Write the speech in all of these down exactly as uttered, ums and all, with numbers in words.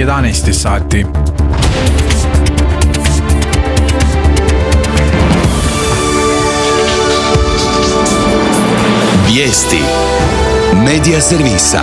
jedanaest sati. Vijesti Medija servisa.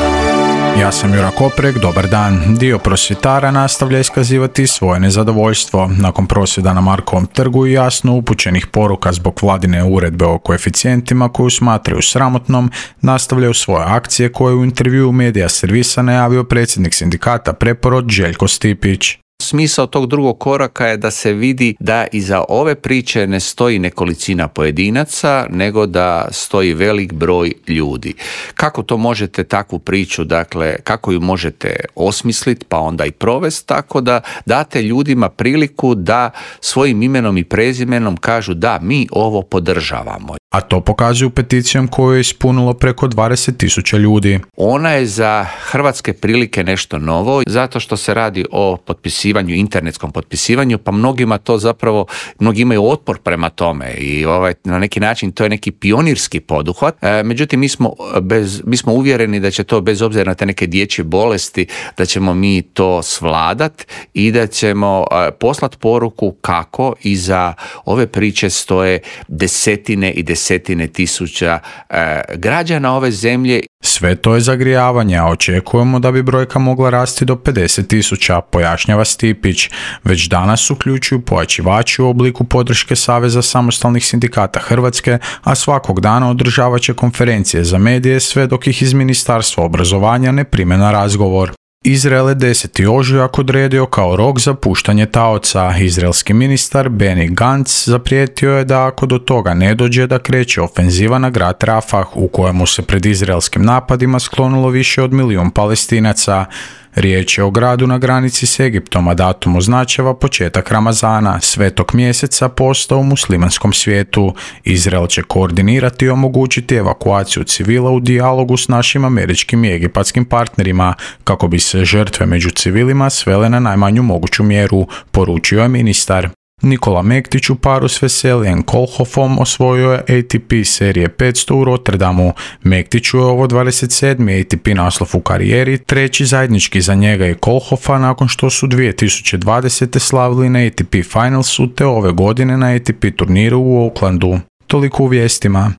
Ja sam Jura Koprek, dobar dan. Dio prosvjetara nastavlja iskazivati svoje nezadovoljstvo. Nakon prosvjeda na Markovom trgu i jasno upućenih poruka zbog vladine uredbe o koeficijentima koju smatraju sramotnom, nastavljaju svoje akcije koje u intervjuu Medija servisa najavio predsjednik sindikata Preporod Željko Stipić. Smisao tog drugog koraka je da se vidi da iza ove priče ne stoji nekolicina pojedinaca, nego da stoji velik broj ljudi. Kako to možete takvu priču, dakle, kako ju možete osmisliti pa onda i provesti, tako da date ljudima priliku da svojim imenom i prezimenom kažu da mi ovo podržavamo. A to pokazuju peticijom koju je ispunilo preko dvadeset tisuća ljudi. Ona je za hrvatske prilike nešto novo, zato što se radi o potpisivanju, internetskom potpisivanju, pa mnogima to zapravo, mnogi imaju otpor prema tome i ovaj, na neki način to je neki pionirski poduhvat. E, međutim, mi smo, bez, mi smo uvjereni da će to, bez obzira na te neke dječje bolesti, da ćemo mi to svladat i da ćemo e, poslati poruku kako iza ove priče stoje desetine i desetine desetine tisuća e, građana ove zemlje. Sve to je zagrijavanje, a očekujemo da bi brojka mogla rasti do pedeset tisuća, pojašnjava Stipić. Već danas uključuju pojačivači u obliku podrške Saveza samostalnih sindikata Hrvatske, a svakog dana održavat će konferencije za medije sve dok ih iz Ministarstva obrazovanja ne prime na razgovor. Izrael je deseti ožujak odredio kao rok za puštanje taoca. Izraelski ministar Benny Gantz zaprijetio je da ako do toga ne dođe da kreće ofenziva na grad Rafah, u kojemu se pred izraelskim napadima sklonilo više od milijun Palestinaca. Riječ je o gradu na granici s Egiptom, a datum označava početak Ramazana, svetog mjeseca posta u muslimanskom svijetu. Izrael će koordinirati i omogućiti evakuaciju civila u dijalogu s našim američkim i egipatskim partnerima, kako bi se žrtve među civilima svele na najmanju moguću mjeru, poručio je ministar. Nikola Mektić u paru s Veselijem Kolhofom osvojio je A T P serije petsto u Rotterdamu. Mektiću je ovo dvadeset sedmi A T P naslov u karijeri, treći zajednički za njega i Kolhofa nakon što su dvije tisuće dvadesete slavili na A T P Finalsu te ove godine na A T P turniru u Aucklandu. Toliko u vijestima.